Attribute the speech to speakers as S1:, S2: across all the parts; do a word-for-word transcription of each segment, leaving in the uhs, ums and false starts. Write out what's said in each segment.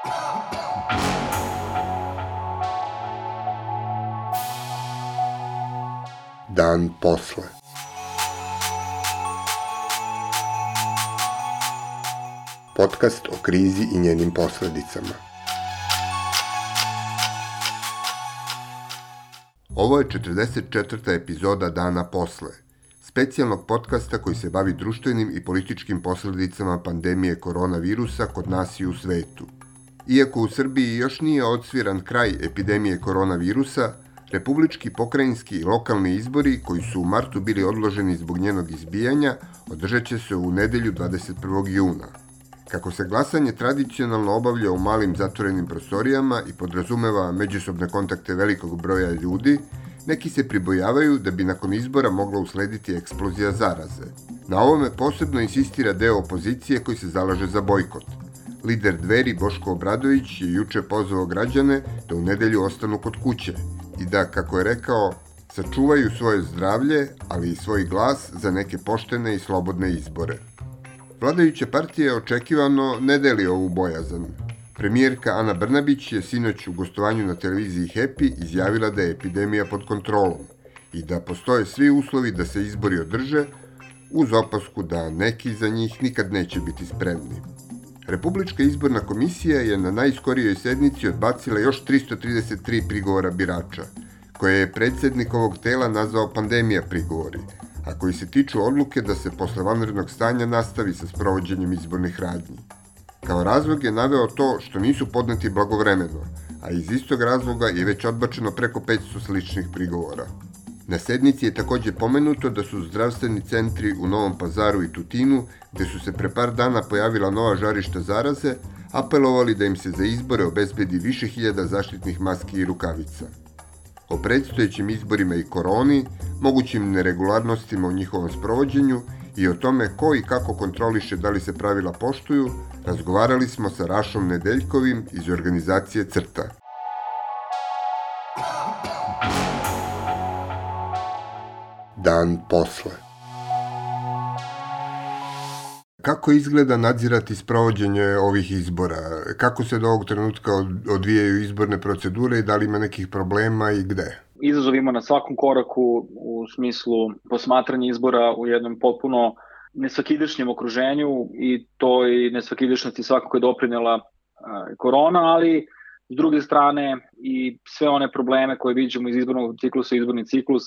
S1: Dan posle. Podcast o krizi i njenim posledicama. Ovo je četrdeset četvrta epizoda Dana posle, specijalnog podcasta koji se bavi društvenim i političkim posledicama pandemije koronavirusa kod nas i u svetu. Iako u Srbiji još nije odsviran kraj epidemije koronavirusa, republički, pokrajinski i lokalni izbori, koji su u martu bili odloženi zbog njenog izbijanja, održat će se u nedelju dvadeset prvog juna. Kako se glasanje tradicionalno obavlja u malim zatvorenim prostorijama i podrazumeva međusobne kontakte velikog broja ljudi, neki se pribojavaju da bi nakon izbora mogla uslediti eksplozija zaraze. Na ovome posebno insistira deo opozicije koji se zalaže za bojkot. Lider Dveri Boško Obradović je juče pozvao građane da u nedelju ostanu kod kuće i da, kako je rekao, sačuvaju svoje zdravlje, ali i svoj glas za neke poštene i slobodne izbore. Vladajuća partija očekivano ne deli ovu bojazan. Premijerka Ana Brnabić je sinoć u gostovanju na televiziji Happy izjavila da je epidemija pod kontrolom i da postoje svi uslovi da se izbori održe, uz opasku da neki za njih nikad neće biti spremni. Republička izborna komisija je na najskorijoj sednici odbacila još tristo trideset tri prigovora birača, koje je predsjednik ovog tela nazvao pandemija prigovori, a koji se tiču odluke da se posle vanrednog stanja nastavi sa sprovođenjem izbornih radnji. Kao razlog je naveo to što nisu podneti blagovremeno, a iz istog razloga je već odbačeno preko petsto sličnih prigovora. Na sednici je također pomenuto da su zdravstveni centri u Novom Pazaru i Tutinu, gde su se pre par dana pojavila nova žarišta zaraze, apelovali da im se za izbore obezbedi više hiljada zaštitnih maski i rukavica. O predstojećim izborima i koroni, mogućim neregularnostima u njihovom sprovođenju i o tome ko i kako kontroliše da li se pravila poštuju, razgovarali smo sa Rašom Nedeljkovim iz organizacije CRTA. Dan posle. Kako izgleda nadzirati sprovođenje ovih izbora? Kako se do ovog trenutka odvijaju izborne procedure i da li ima nekih problema i gde?
S2: Izazov ima na svakom koraku u smislu posmatranja izbora u jednom potpuno nesvakidašnjem okruženju i toj nesvakidašnosti svakako je doprinela korona, ali s druge strane i sve one probleme koje viđamo iz izbornog ciklusa, izborni ciklus,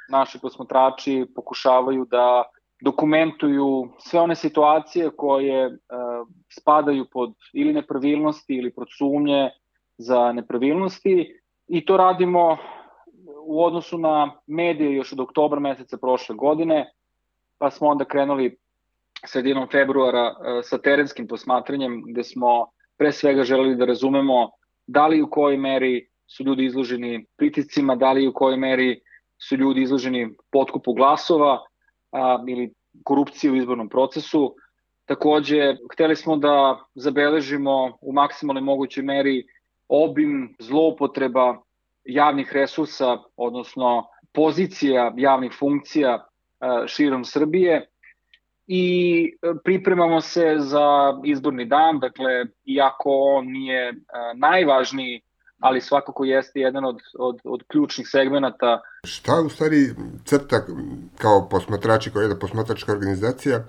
S2: naši posmatrači pokušavaju da dokumentuju sve one situacije koje e, spadaju pod ili nepravilnosti ili pod sumnje za nepravilnosti i to radimo u odnosu na medije još od oktobra meseca prošle godine, pa smo onda krenuli sredinom februara e, sa terenskim posmatranjem gde smo pre svega želeli da razumemo da li u kojoj meri su ljudi izloženi pritiscima, da li u kojoj meri su ljudi izloženi potkupu glasova a, ili korupciji u izbornom procesu. Takođe, hteli smo da zabeležimo u maksimalnoj mogućoj meri obim zloupotreba javnih resursa, odnosno pozicija javnih funkcija a, širom Srbije i pripremamo se za izborni dan, dakle, iako on nije a, najvažniji, ali svakako jeste jedan od, od, od ključnih segmenata.
S1: Šta u stvari CRTA kao posmatrači, kao jedna posmatračka organizacija,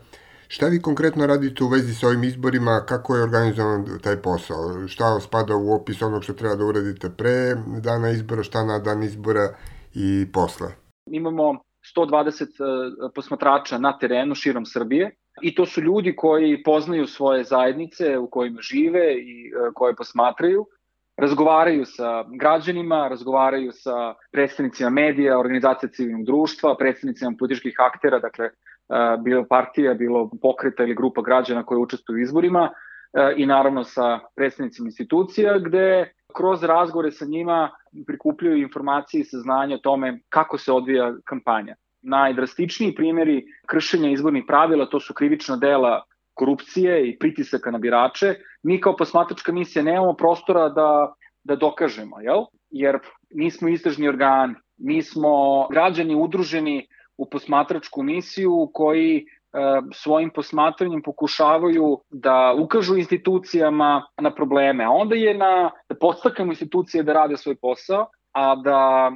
S1: šta vi konkretno radite u vezi sa ovim izborima, kako je organizovan taj posao? Šta spada u opis onog što treba da uradite pre dana izbora, šta na dan izbora i posle?
S2: Imamo sto dvadeset posmatrača na terenu širom Srbije i to su ljudi koji poznaju svoje zajednice u kojima žive i koje posmatraju. Razgovaraju sa građanima, razgovaraju sa predstavnicima medija, organizacija civilnog društva, predstavnicima političkih aktera, dakle bilo partija, bilo pokreta ili grupa građana koje učestvuju u izborima i naravno sa predstavnicima institucija gde kroz razgovore sa njima prikupljaju informacije i saznanja o tome kako se odvija kampanja. Najdrastičniji primjeri kršenja izbornih pravila to su krivična dela korupcije i pritisaka na birače. Mi kao posmatračka misija nemamo prostora da, da dokažemo, jel? Jer nismo istražni organi, mi smo građani udruženi u posmatračku misiju koji svojim posmatranjem pokušavaju da ukažu institucijama na probleme. A onda je na, da podstaknemo institucije da rade svoj posao, a da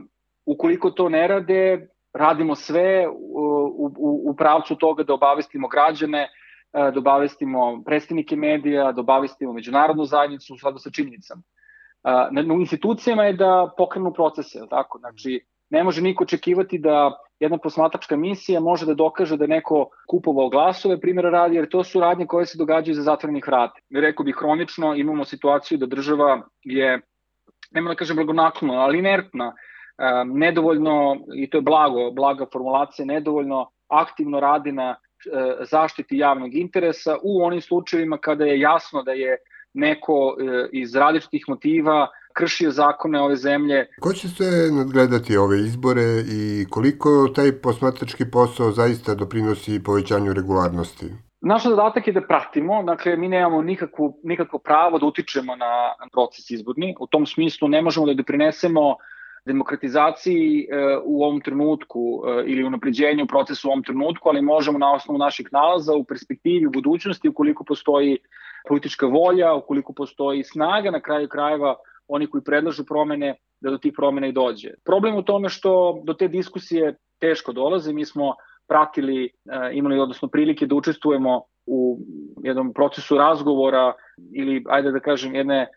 S2: ukoliko to ne rade, radimo sve u, u, u pravcu toga da obavestimo građane, da obavestimo predstavnike medija, da obavestimo međunarodnu zajednicu u skladu sa činjenicama. Na institucijama je da pokrenu procese, tako? Znači, ne može niko očekivati da jedna posmatračka misija može da dokaže da je neko kupovao glasove, primjera radi, jer to su radnje koje se događaju za zatvorenih vrata. Rekao bih, hronično imamo situaciju da država je, nema da kažem blagonaklono, ali inertna, nedovoljno, i to je blago, blaga formulacija, nedovoljno aktivno radi na zaštiti javnog interesa u onim slučajevima kada je jasno da je neko iz različitih motiva kršio zakone ove zemlje.
S1: Ko će se nadgledati ove izbore i koliko taj posmatrački posao zaista doprinosi povećanju regularnosti?
S2: Naš zadatak je da pratimo, dakle mi nemamo nikakvu, nikakvo pravo da utičemo na proces izborni. U tom smislu ne možemo da doprinesemo demokratizaciji u ovom trenutku ili unapređenju procesa u ovom trenutku, ali možemo na osnovu naših nalaza u perspektivi, u budućnosti, ukoliko postoji politička volja, ukoliko postoji snaga, na kraju krajeva oni koji predlažu promene, da do tih promena i dođe. Problem u tome što do te diskusije teško dolaze. Mi smo pratili, imali odnosno prilike da učestvujemo u jednom procesu razgovora ili, ajde da kažem, jedne,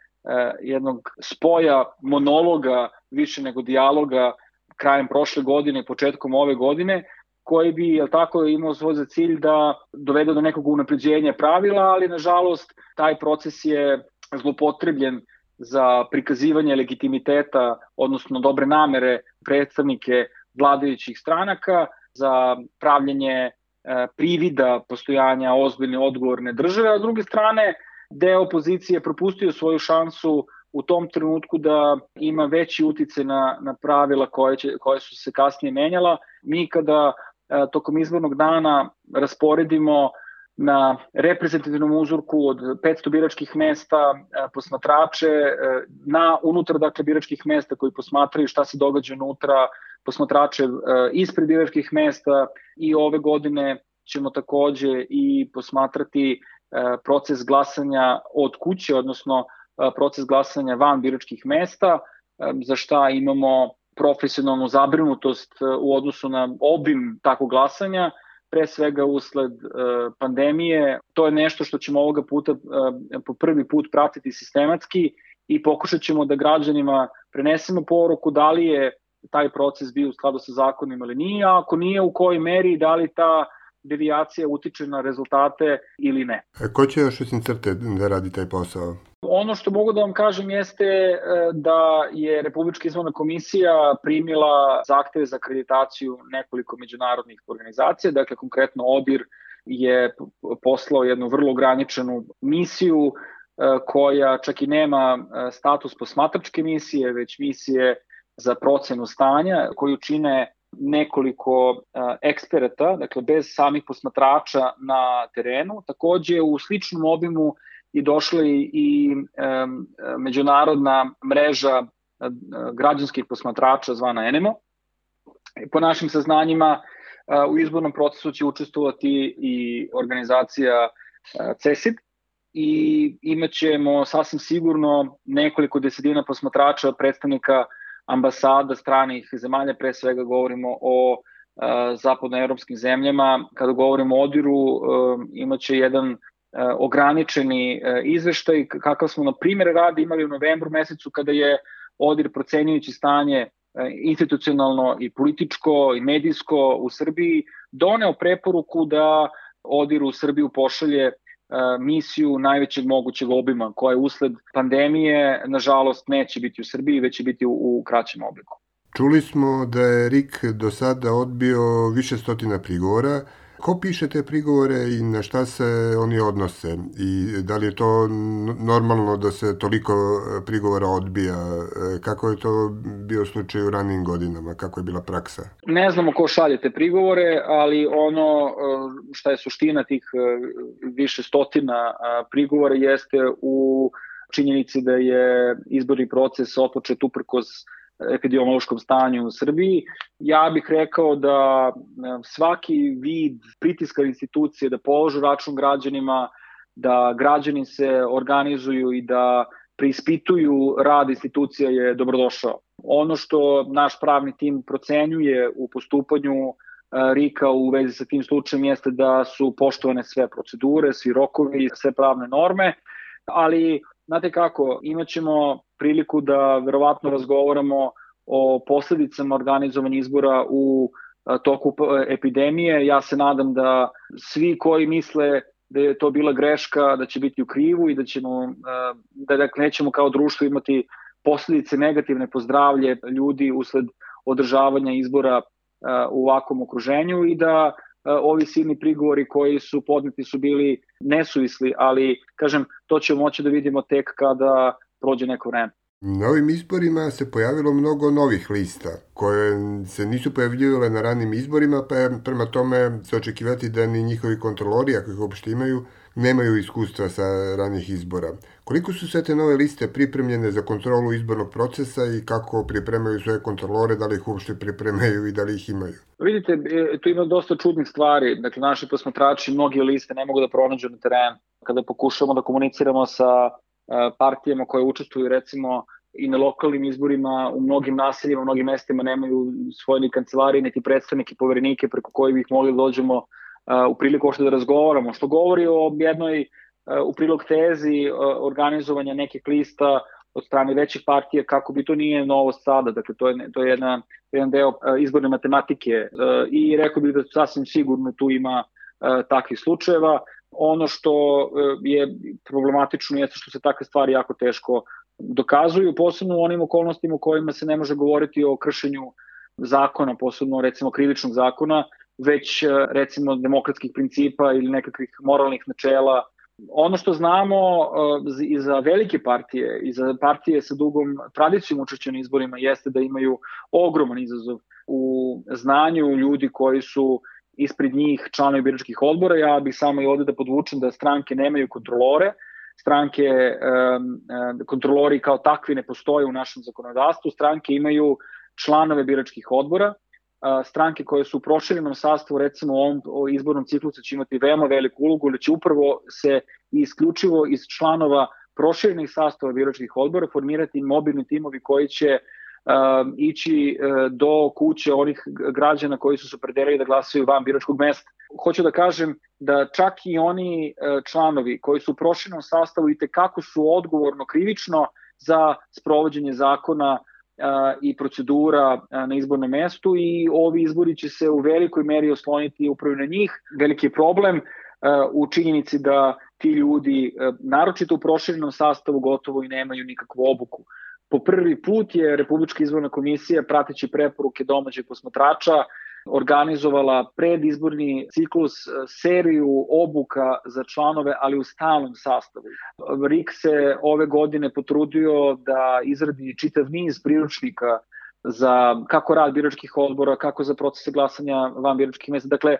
S2: jednog spoja monologa više nego dijaloga krajem prošle godine i početkom ove godine, koji bi, jel tako, imao svoj za cilj da dovede do nekog unapređenja pravila, ali nažalost taj proces je zloupotrebljen za prikazivanje legitimiteta, odnosno dobre namere predstavnike vladajućih stranaka, za pravljenje privida postojanja ozbiljne odgovorne države, a s druge strane deo opozicije propustio svoju šansu u tom trenutku da ima veći uticaj na, na pravila koje, će, koje su se kasnije menjala. Mi kada e, tokom izbornog dana rasporedimo na reprezentativnom uzorku od petsto biračkih mesta e, posmatrače, e, na unutar dakle biračkih mesta koji posmatraju šta se događa unutra, posmatrače e, ispred biračkih mesta, i ove godine ćemo takođe i posmatrati e, proces glasanja od kuće, odnosno proces glasanja van biračkih mesta, za šta imamo profesionalnu zabrinutost u odnosu na obim takvog glasanja, pre svega usled pandemije. To je nešto što ćemo ovoga puta po prvi put pratiti sistematski i pokušat ćemo da građanima prenesemo poruku da li je taj proces bio u skladu sa zakonima ili nije, a ako nije, u kojoj meri, da li ta devijacija utiče na rezultate ili ne.
S1: A ko će još iz crte da radi taj posao?
S2: Ono što mogu da vam kažem jeste da je Republička izborna komisija primila zahteve za akreditaciju nekoliko međunarodnih organizacija, dakle konkretno ODIR je poslao jednu vrlo ograničenu misiju koja čak i nema status posmatračke misije, već misije za procenu stanja, koju čine nekoliko eksperata, dakle bez samih posmatrača na terenu. Takođe u sličnom obimu i došla i um, međunarodna mreža uh, građanskih posmatrača zvana ENEMO. Po našim saznanjima uh, u izbornom procesu će učestvovati i organizacija uh, CESID i imaćemo sasvim sigurno nekoliko desetina posmatrača, predstavnika ambasada stranih zemalja, pre svega govorimo o uh, zapadnoevropskim zemljama. Kada govorimo o ODIR-u, uh, imaće jedan ograničeni izveštaj, kakav smo na primjer radi imali u novembru mesecu, kada je ODIR procenjujući stanje institucionalno i političko i medijsko u Srbiji doneo preporuku da ODIR u Srbiju pošalje misiju najvećeg mogućeg obima, koja usled pandemije nažalost neće biti u Srbiji, već će biti u, u kraćem obliku.
S1: Čuli smo da je R I K do sada odbio više stotina prigovora. Ko piše te prigovore i na šta se oni odnose? I da li je to normalno da se toliko prigovora odbija? Kako je to bio slučaj u ranijim godinama? Kako je bila praksa?
S2: Ne znamo ko šalje te prigovore, ali ono šta je suština tih više stotina prigovora jeste u činjenici da je izborni proces otpočet uprkos epidemiološkom stanju u Srbiji. Ja bih rekao da svaki vid pritiska institucije da položu račun građanima, da građani se organizuju i da preispituju rad institucija je dobrodošao. Ono što naš pravni tim procenjuje u postupanju R I K-a u vezi sa tim slučajem jeste da su poštovane sve procedure, svi rokovi, sve pravne norme, ali znate kako, imaćemo priliku da verovatno razgovaramo o posledicama organizovanja izbora u toku epidemije. Ja se nadam da svi koji misle da je to bila greška, da će biti u krivu i da ćemo, da dakle, nećemo kao društvo imati posledice negativne po zdravlje ljudi usled održavanja izbora u ovakvom okruženju i da ovi silni prigovori koji su podneti su bili nesuvisli, ali kažem, to ćemo moći da vidimo tek kada prođe neko vreme.
S1: Na ovim izborima se pojavilo mnogo novih lista koje se nisu pojavljivale na ranim izborima, pa je prema tome se očekivati da ni njihovi kontrolori, ako ih uopšte imaju, nemaju iskustva sa ranih izbora. Koliko su sve te nove liste pripremljene za kontrolu izbornog procesa i kako pripremaju svoje kontrolore, da li ih uopšte pripremaju i da li ih imaju?
S2: Vidite, tu ima dosta čudnih stvari. Dakle, naši posmatrači mnoge liste ne mogu da pronađu na terenu. Kada pokušamo da komuniciramo sa partijama koje učestvuju recimo i na lokalnim izborima, u mnogim naseljima, u mnogim mestima nemaju svoje ni kancelarije, niti predstavnike, poverenike preko koji bih mogli da dođemo u priliku ošte da razgovaramo, što govori o jednoj u prilog tezi organizovanja nekih lista od strane većih partija, kako bi to nije novost sada, dakle to je, to je jedna, jedan deo izborne matematike i rekao bih da sasvim sigurno tu ima takvih slučajeva. Ono što je problematično jeste što se takve stvari jako teško dokazuju, posebno u onim okolnostima u kojima se ne može govoriti o kršenju zakona, posebno recimo krivičnog zakona, već recimo demokratskih principa ili nekakvih moralnih načela. Ono što znamo i za velike partije i za partije sa dugom tradicijom učešća na izborima jeste da imaju ogroman izazov u znanju ljudi koji su ispred njih članovi biračkih odbora. Ja bih samo i ovde da podvučem da stranke nemaju kontrolore, stranke, kontrolori kao takvi ne postoje u našem zakonodavstvu, stranke imaju članove biračkih odbora, stranke koje su u proširenom sastavu, recimo u ovom izbornom ciklusu će imati veoma veliku ulogu, ili će upravo se isključivo iz članova proširenih sastava biračkih odbora formirati mobilni timovi koji će Uh, ići uh, do kuće onih građana koji su se opredelili da glasaju van biračkog mesta. Hoću da kažem da čak i oni uh, članovi koji su u proširenom sastavu i tekako su odgovorno krivično za sprovođenje zakona uh, i procedura uh, na izbornom mestu i ovi izbori će se u velikoj meri osloniti upravo na njih. Veliki problem uh, u činjenici da ti ljudi, uh, naročito u proširenom sastavu, gotovo i nemaju nikakvu obuku. Po prvi put je Republička izborna komisija, prateći preporuke domaćih posmatrača, organizovala predizborni ciklus seriju obuka za članove, ali u stalnom sastavu. R I K se ove godine potrudio da izradi čitav niz priručnika za kako rad biračkih odbora, kako za procese glasanja van biračkih mesta. Dakle,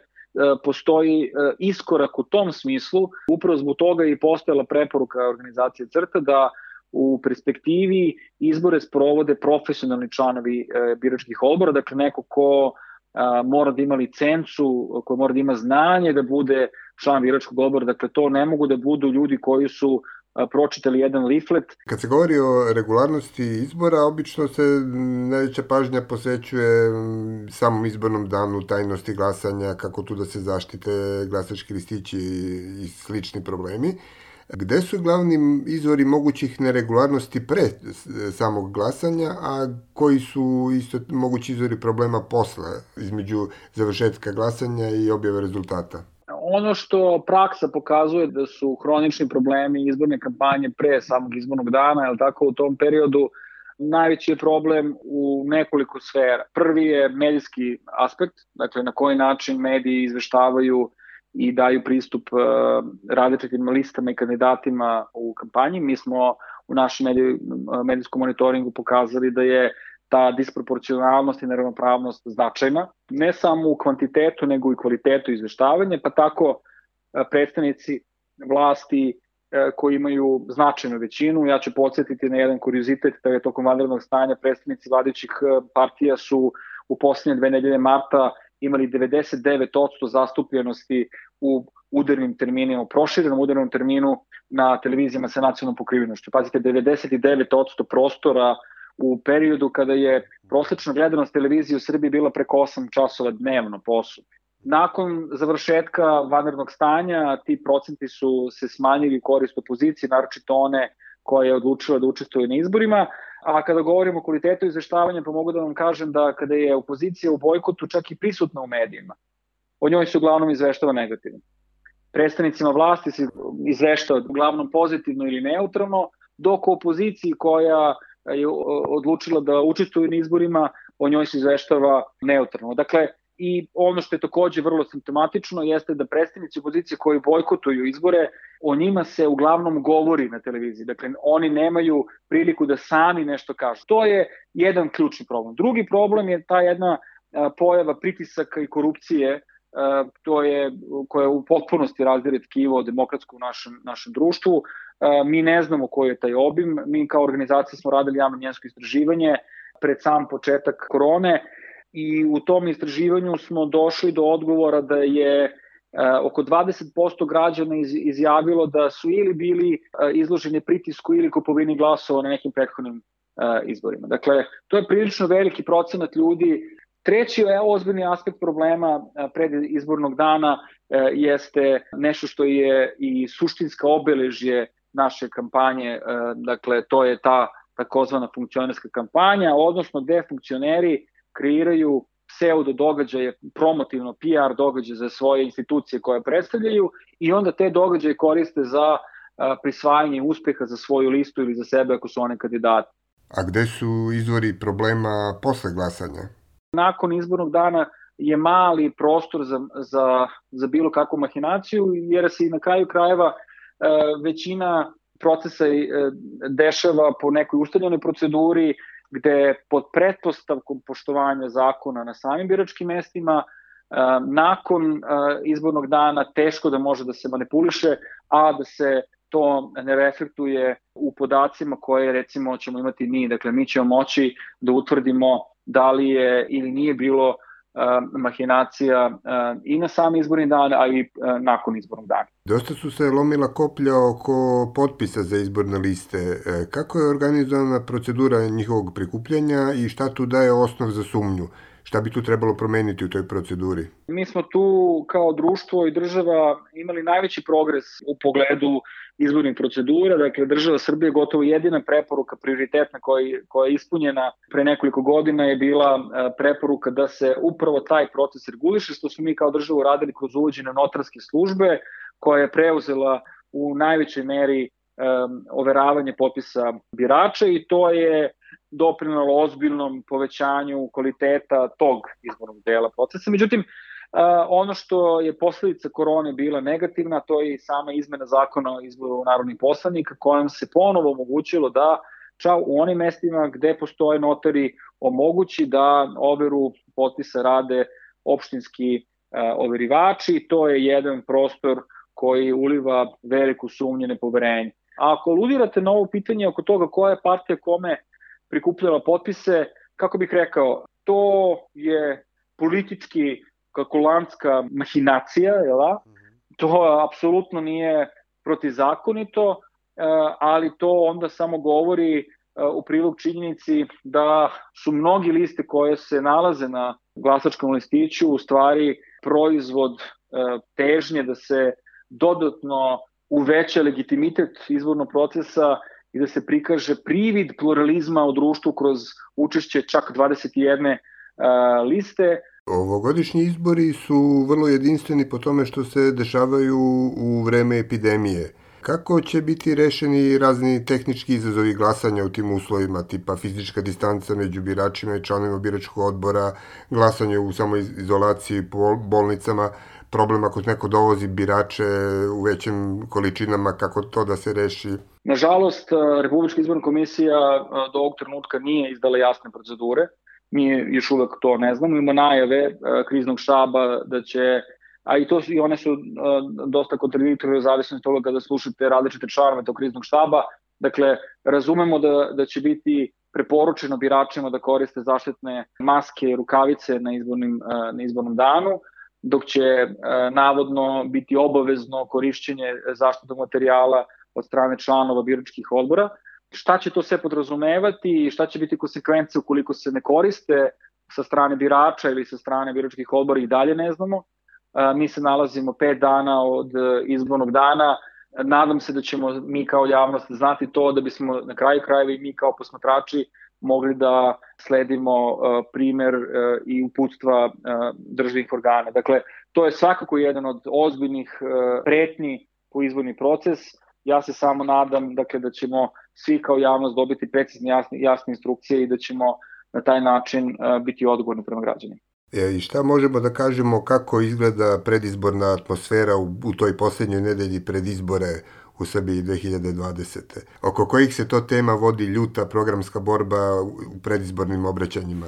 S2: postoji iskorak u tom smislu. Upravo zbog toga je i postojala preporuka organizacije CRTA da u perspektivi izbore sprovode profesionalni članovi e, biračkih odbora, dakle neko ko a, mora da ima licencu, ko mora da ima znanje da bude član biračkog odbora, dakle to ne mogu da budu ljudi koji su a, pročitali jedan leaflet.
S1: Kad se govori o regularnosti izbora, obično se najveća pažnja posvećuje samom izbornom danu, tajnosti glasanja, kako tu da se zaštite glasački listići i slični problemi. Gde su glavni izvori mogućih neregularnosti pre samog glasanja, a koji su isto mogući izvori problema posle, između završetka glasanja i objave rezultata?
S2: Ono što praksa pokazuje da su hronični problemi izborne kampanje pre samog izbornog dana, jel tako, u tom periodu najveći je problem u nekoliko sfera. Prvi je medijski aspekt, dakle na koji način mediji izveštavaju i daju pristup uh, različitim listama i kandidatima u kampanji. Mi smo u našem medij, medijskom monitoringu pokazali da je ta disproporcionalnost i neravnopravnost značajna, ne samo u kvantitetu, nego i kvalitetu izveštavanja, pa tako uh, predstavnici vlasti koji imaju značajnu većinu. Ja ću podsjetiti na jedan kuriozitet da je tokom vanrednog stanja predstavnici vladajućih partija su u poslednje dve nedelje marta imali devedeset devet posto zastupljenosti u udarnim terminima, u proširenom udarnom terminu na televizijama sa nacionalnom pokrivenošću. Pazite, devedeset devet posto prostora u periodu kada je prosečna gledanost televizije u Srbiji bila preko osam časova dnevno po osobi. Nakon završetka vanrednog stanja ti procenti su se smanjili u korist opozicije, naročito one koja je odlučila da učestvuje na izborima. A kada govorimo o kvalitetu izveštavanja, pa mogu da vam kažem da kada je opozicija u bojkotu čak i prisutna u medijima, o njoj se uglavnom izveštava negativno. Predstavnicima vlasti se izveštava uglavnom pozitivno ili neutralno, dok u opoziciji koja je odlučila da učestvuje na izborima, o njoj se izveštava neutralno. Dakle, i ono što je takođe vrlo simptomatično jeste da predstavnici opozicije koji bojkotuju izbore, o njima se uglavnom govori na televiziji. Dakle, oni nemaju priliku da sami nešto kažu. To je jedan ključni problem. Drugi problem je ta jedna pojava pritisaka i korupcije, to je, koja u potpunosti razdire tkivo demokratsko u našem, našem društvu. Mi ne znamo koji je taj obim. Mi kao organizacija smo radili javno mnjenjsko istraživanje pred sam početak korone, i u tom istraživanju smo došli do odgovora da je oko dvadeset posto građana izjavilo da su ili bili izloženi pritisku ili kupovini glasova na nekim prethodnim izborima. Dakle, to je prilično veliki procenat ljudi. Treći ozbiljni aspekt problema pred izbornog dana jeste nešto što je i suštinska obeležje naše kampanje, dakle to je ta takozvana funkcionerska kampanja, odnosno gde funkcioneri kreiraju pseudo događaje, promotivno P R događaje za svoje institucije koje predstavljaju i onda te događaje koriste za prisvajanje uspeha za svoju listu ili za sebe ako su one kandidati.
S1: A gde su izvori problema posle glasanja?
S2: Nakon izbornog dana je mali prostor za, za, za bilo kakvu mahinaciju, jer se i na kraju krajeva većina procesa dešava po nekoj ustaljenoj proceduri, gde pod pretpostavkom poštovanja zakona na samim biračkim mestima, nakon izbornog dana teško da može da se manipuliše, a da se to ne reflektuje u podacima koje recimo ćemo imati mi. Dakle, mi ćemo moći da utvrdimo da li je ili nije bilo mahinacija i na sam izborni dan, a i nakon izbornog dana.
S1: Dosta su se lomila koplja oko potpisa za izborne liste. Kako je organizovana procedura njihovog prikupljanja i šta tu daje osnov za sumnju? Šta bi tu trebalo promeniti u toj proceduri?
S2: Mi smo tu kao društvo i država imali najveći progres u pogledu izbornih procedura. Dakle, država Srbije gotovo jedina preporuka prioritetna koja, koja je ispunjena pre nekoliko godina je bila preporuka da se upravo taj proces reguliše, što smo mi kao državu radili kroz uvođenje notarske službe koja je preuzela u najvećoj meri um, overavanje potpisa birača i to je doprinelo ozbiljnom povećanju kvaliteta tog izbornog dela procesa. Međutim, ono što je posledica korone bila negativna, to je i sama izmena zakona o izboru narodnih poslanika, kojom se ponovo omogućilo da čak u onim mestima gde postoje notari omogući da overu potpisa rade opštinski overivači. To je jedan prostor koji uliva veliku sumnju, nepoverenje. A ako aludirate na ovo pitanje oko toga koja je partija kome prikupljala potpise, kako bih rekao, to je politički kalkulantska mahinacija, jel da? To apsolutno nije protizakonito, ali to onda samo govori u prilog činjenici da su mnogi liste koje se nalaze na glasačkom listiću u stvari proizvod težnje da se dodatno uveća legitimitet izbornog procesa i da se prikaže privid pluralizma u društvu kroz učešće čak dvadeset jedne uh, liste.
S1: Ovogodišnji izbori su vrlo jedinstveni po tome što se dešavaju u vreme epidemije. Kako će biti rešeni razni tehnički izazovi glasanja u tim uslovima, tipa fizička distanca među biračima i članovima biračkog odbora, glasanje u samoizolaciji po bolnicama, problem ako neko dovozi birače u većim količinama, kako to da se reši?
S2: Nažalost, Republička izborna komisija do ovog trenutka nije izdala jasne procedure. Mi još uvek to ne znamo. Ima najave kriznog štaba da će a i, to su, i one su uh, dosta kontradiktorne u zavisnosti toga kada slušate različite članove tog kriznog štaba. Dakle, razumemo da, da će biti preporučeno biračima da koriste zaštitne maske i rukavice na, izbornim, uh, na izbornom danu, dok će uh, navodno biti obavezno korišćenje zaštitnog materijala od strane članova biračkih odbora. Šta će to sve podrazumevati i šta će biti konsekvence ukoliko se ne koriste sa strane birača ili sa strane biračkih odbora i dalje ne znamo. Mi se nalazimo pet dana od izbornog dana. Nadam se da ćemo mi kao javnost znati to da bismo na kraju krajeva i mi kao posmatrači mogli da sledimo primer i uputstva državnih organa. Dakle, to je svakako jedan od ozbiljnih pretnji po izborni proces. Ja se samo nadam dakle, da ćemo svi kao javnost dobiti precizne jasne, jasne instrukcije i da ćemo na taj način uh, biti odgovorni prema građanima.
S1: E, I šta možemo da kažemo kako izgleda predizborna atmosfera u, u toj posljednjoj nedelji pred izbore u Srbiji dve hiljade dvadesete. Oko kojih se to tema vodi ljuta programska borba u predizbornim obraćanjima?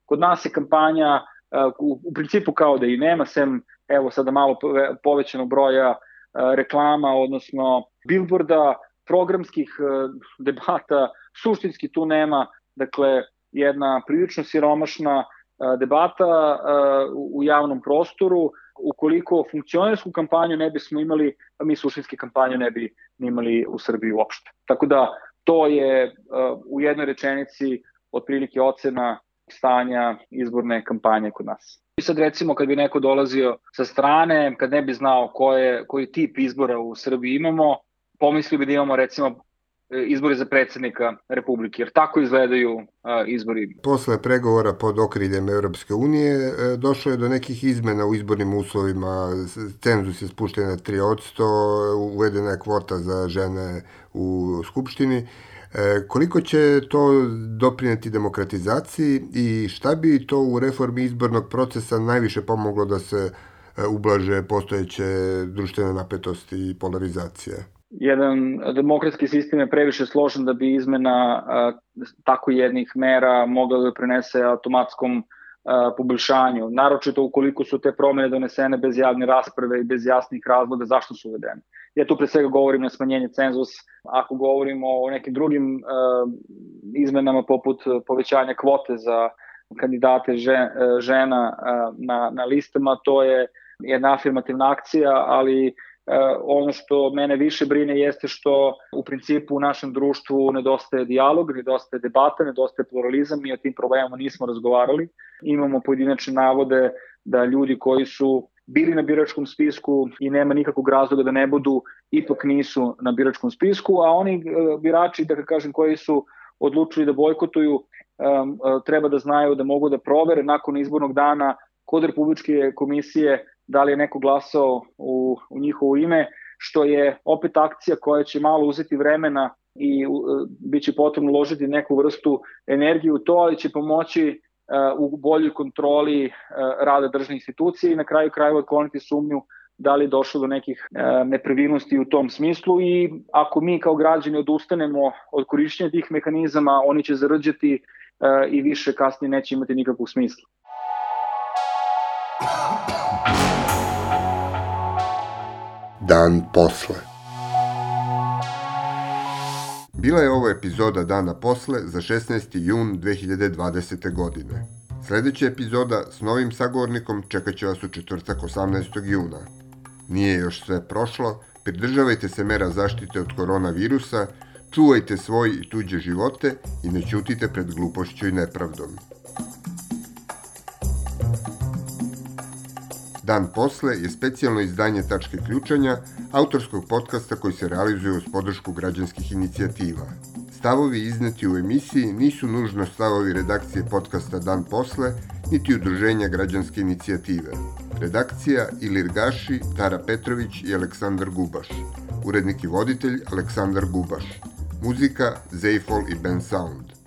S2: Kod nas je kampanja uh, u, u principu kao da i nema, sem evo sada malo povećanog broja uh, reklama, odnosno bilborda, programskih uh, debata, suštinski tu nema, dakle, jedna prilično siromašna uh, debata uh, u javnom prostoru. Ukoliko funkcionersku kampanju ne bismo imali, mi suštinski kampanju ne bi imali u Srbiji uopšte. Tako da to je uh, u jednoj rečenici otprilike ocena stanja izborne kampanje kod nas. I sad recimo kad bi neko dolazio sa strane, kad ne bi znao koje, koji tip izbora u Srbiji imamo, pomislio bi da imamo recimo izbori za predsjednika Republike, jer tako izgledaju uh, izbori.
S1: Posle pregovora pod okriljem Europske unije došlo je do nekih izmena u izbornim uslovima, cenzus je spušten na tri posto, uvedena je kvota za žene u Skupštini. E, koliko će to doprineti demokratizaciji i šta bi to u reformi izbornog procesa najviše pomoglo da se ublaže postojeće društvene napetosti i polarizacije?
S2: Jedan demokratski sistem je previše složen da bi izmena a, tako jednih mera mogla da prenese automatskom a, poboljšanju. Naročito ukoliko su te promene donesene bez javne rasprave i bez jasnih razloga zašto su uvedene. Ja tu pre svega govorim na smanjenje cenzus. Ako govorimo o nekim drugim a, izmenama poput povećanja kvote za kandidate žen, žena a, na, na listama, to je jedna afirmativna akcija, ali Uh, ono što mene više brine jeste što u principu u našem društvu nedostaje dijalog, nedostaje debata, nedostaje pluralizam, mi o tim problemima nismo razgovarali. Imamo pojedinačne navode da ljudi koji su bili na biračkom spisku i nema nikakvog razloga da ne budu, ipak nisu na biračkom spisku, a oni uh, birači, da kažem, koji su odlučili da bojkotuju, um, uh, treba da znaju da mogu da provere nakon izbornog dana kod Republičke komisije da li je neko glasao u, u njihovo ime, što je opet akcija koja će malo uzeti vremena i uh, bit će potrebno uložiti neku vrstu energije u to, ali će pomoći uh, u boljoj kontroli uh, rada državnih institucija i na kraju krajeva otkloniti sumnju da li je došlo do nekih uh, nepravilnosti u tom smislu i ako mi kao građani odustanemo od korišćenja tih mehanizama, oni će zarđati uh, i više kasnije neće imati nikakvog smisla.
S1: Dan posle. Bila je ovo epizoda Dana posle za šesnaesti jun dve hiljade dvadesete. godine. Sledeća epizoda s novim sagovornikom čekat će vas u četvrtak osamnaestog juna. Nije još sve prošlo, pridržavajte se mera zaštite od koronavirusa, čuvajte svoj i tuđe živote i ne ćutite pred glupošću i nepravdom. Dan posle je specijalno izdanje Tačke ključanja, autorskog podcasta koji se realizuje uz podršku građanskih inicijativa. Stavovi izneti u emisiji nisu nužno stavovi redakcije podcasta Dan posle, niti udruženja građanske inicijative. Redakcija Ilir Gaši, Tara Petrović i Aleksandar Gubaš. Urednik i voditelj Aleksandar Gubaš. Muzika Zejfol i Ben Sound.